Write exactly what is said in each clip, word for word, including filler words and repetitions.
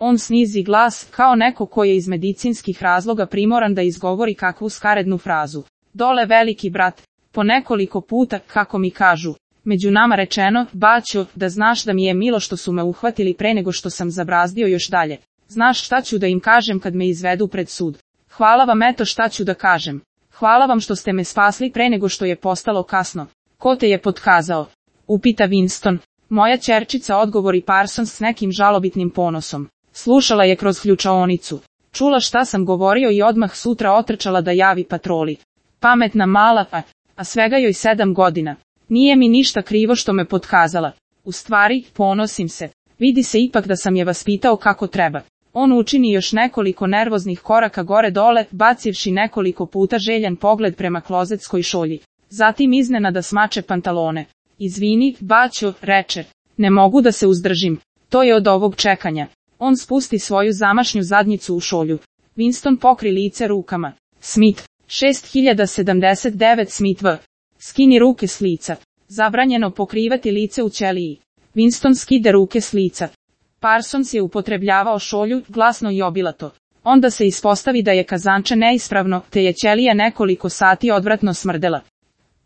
On snizi glas, kao neko ko je iz medicinskih razloga primoran da izgovori kakvu skarednu frazu. Dole veliki brat, po nekoliko puta, kako mi kažu. Među nama rečeno, baćo, da znaš da mi je milo što su me uhvatili pre nego što sam zabrazdio još dalje. Znaš šta ću da im kažem kad me izvedu pred sud. Hvala vam, eto šta ću da kažem. Hvala vam što ste me spasli pre nego što je postalo kasno. Ko te je potkazao? Upita Winston. Moja ćerčica, odgovori Parsons s nekim žalobitnim ponosom. Slušala je kroz ključaonicu. Čula šta sam govorio i odmah sutra otrčala da javi patroli. Pametna mala, a, a svega joj sedam godina. Nije mi ništa krivo što me potkazala. U stvari, ponosim se. Vidi se ipak da sam je vaspitao kako treba. On učini još nekoliko nervoznih koraka gore dole, bacivši nekoliko puta željan pogled prema klozetskoj šolji. Zatim iznenada smače pantalone. Izvini, baćo, reče. Ne mogu da se uzdržim. To je od ovog čekanja. On spusti svoju zamašnju zadnjicu u šolju. Winston pokri lice rukama. Smith, šest hiljada sedamdeset devet Smith V. Skini ruke s lica. Zabranjeno pokrivati lice u ćeliji. Winston skide ruke s lica. Parsons je upotrebljavao šolju, glasno i obilato. Onda se ispostavi da je kazanče neispravno, te je ćelija nekoliko sati odvratno smrdela.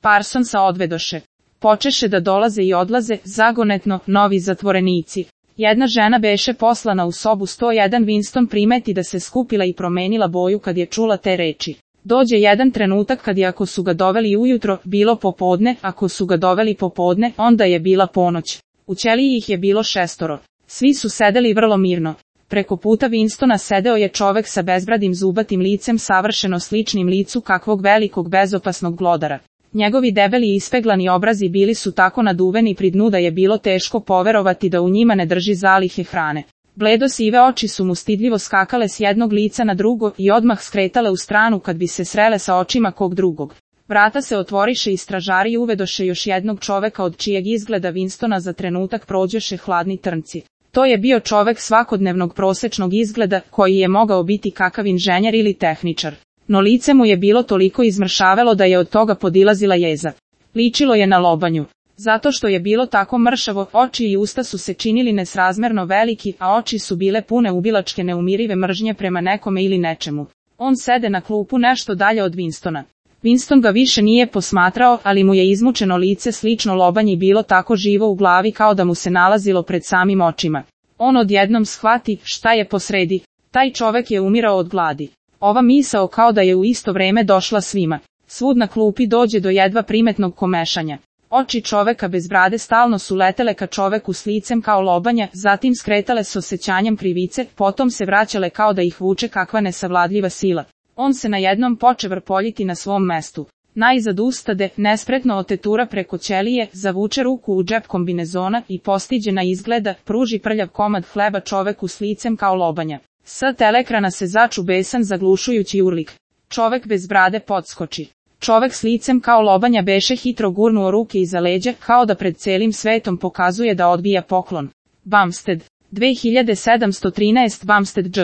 Parsonsa odvedoše. Počeše da dolaze i odlaze, zagonetno, novi zatvorenici. Jedna žena beše poslana u sobu sto jedan. Winston primeti da se skupila i promenila boju kad je čula te reči. Dođe jedan trenutak kad je, ako su ga doveli ujutro, bilo popodne, ako su ga doveli popodne, onda je bila ponoć. U ćeliji ih je bilo šestoro. Svi su sedeli vrlo mirno. Preko puta Winstona sedeo je čovek sa bezbradim zubatim licem, savršeno sličnim licu kakvog velikog bezopasnog glodara. Njegovi debeli i ispeglani obrazi bili su tako naduveni pri dnu da je bilo teško poverovati da u njima ne drži zalihe hrane. Bledo sive oči su mu stidljivo skakale s jednog lica na drugo i odmah skretale u stranu kad bi se srele sa očima kog drugog. Vrata se otvoriše i stražari uvedoše još jednog čoveka od čijeg izgleda Winstona za trenutak prođoše hladni trnci. To je bio čovek svakodnevnog prosečnog izgleda, koji je mogao biti kakav inženjer ili tehničar. No lice mu je bilo toliko izmršavelo da je od toga podilazila jeza. Ličilo je na lobanju. Zato što je bilo tako mršavo, oči i usta su se činili nesrazmerno veliki, a oči su bile pune ubilačke neumirive mržnje prema nekome ili nečemu. On sede na klupu nešto dalje od Winstona. Winston ga više nije posmatrao, ali mu je izmučeno lice slično lobanji bilo tako živo u glavi kao da mu se nalazilo pred samim očima. On odjednom shvati šta je posredi. Taj čovek je umirao od gladi. Ova misao kao da je u isto vreme došla svima. Svud na klupi dođe do jedva primetnog komešanja. Oči čoveka bez brade stalno su letele ka čoveku s licem kao lobanja, zatim skretale s osjećanjem krivice, potom se vraćale kao da ih vuče kakva nesavladljiva sila. On se najednom poče vrpoljiti na svom mestu. Najzad ustade, nespretno otetura preko ćelije, zavuče ruku u džep kombinezona i postiđena izgleda, pruži prljav komad hleba čoveku s licem kao lobanja. Sa telekrana se začu besan zaglušujući urlik. Čovek bez brade podskoči. Čovek s licem kao lobanja beše hitro gurnuo ruke iza leđa, kao da pred celim svetom pokazuje da odbija poklon. Bumstead, dve hiljade sedamsto trinaest Bumstead Dž.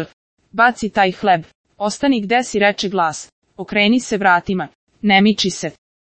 Baci taj hleb. Ostani gde si, reče glas. Okreni se vratima. Ne miči se.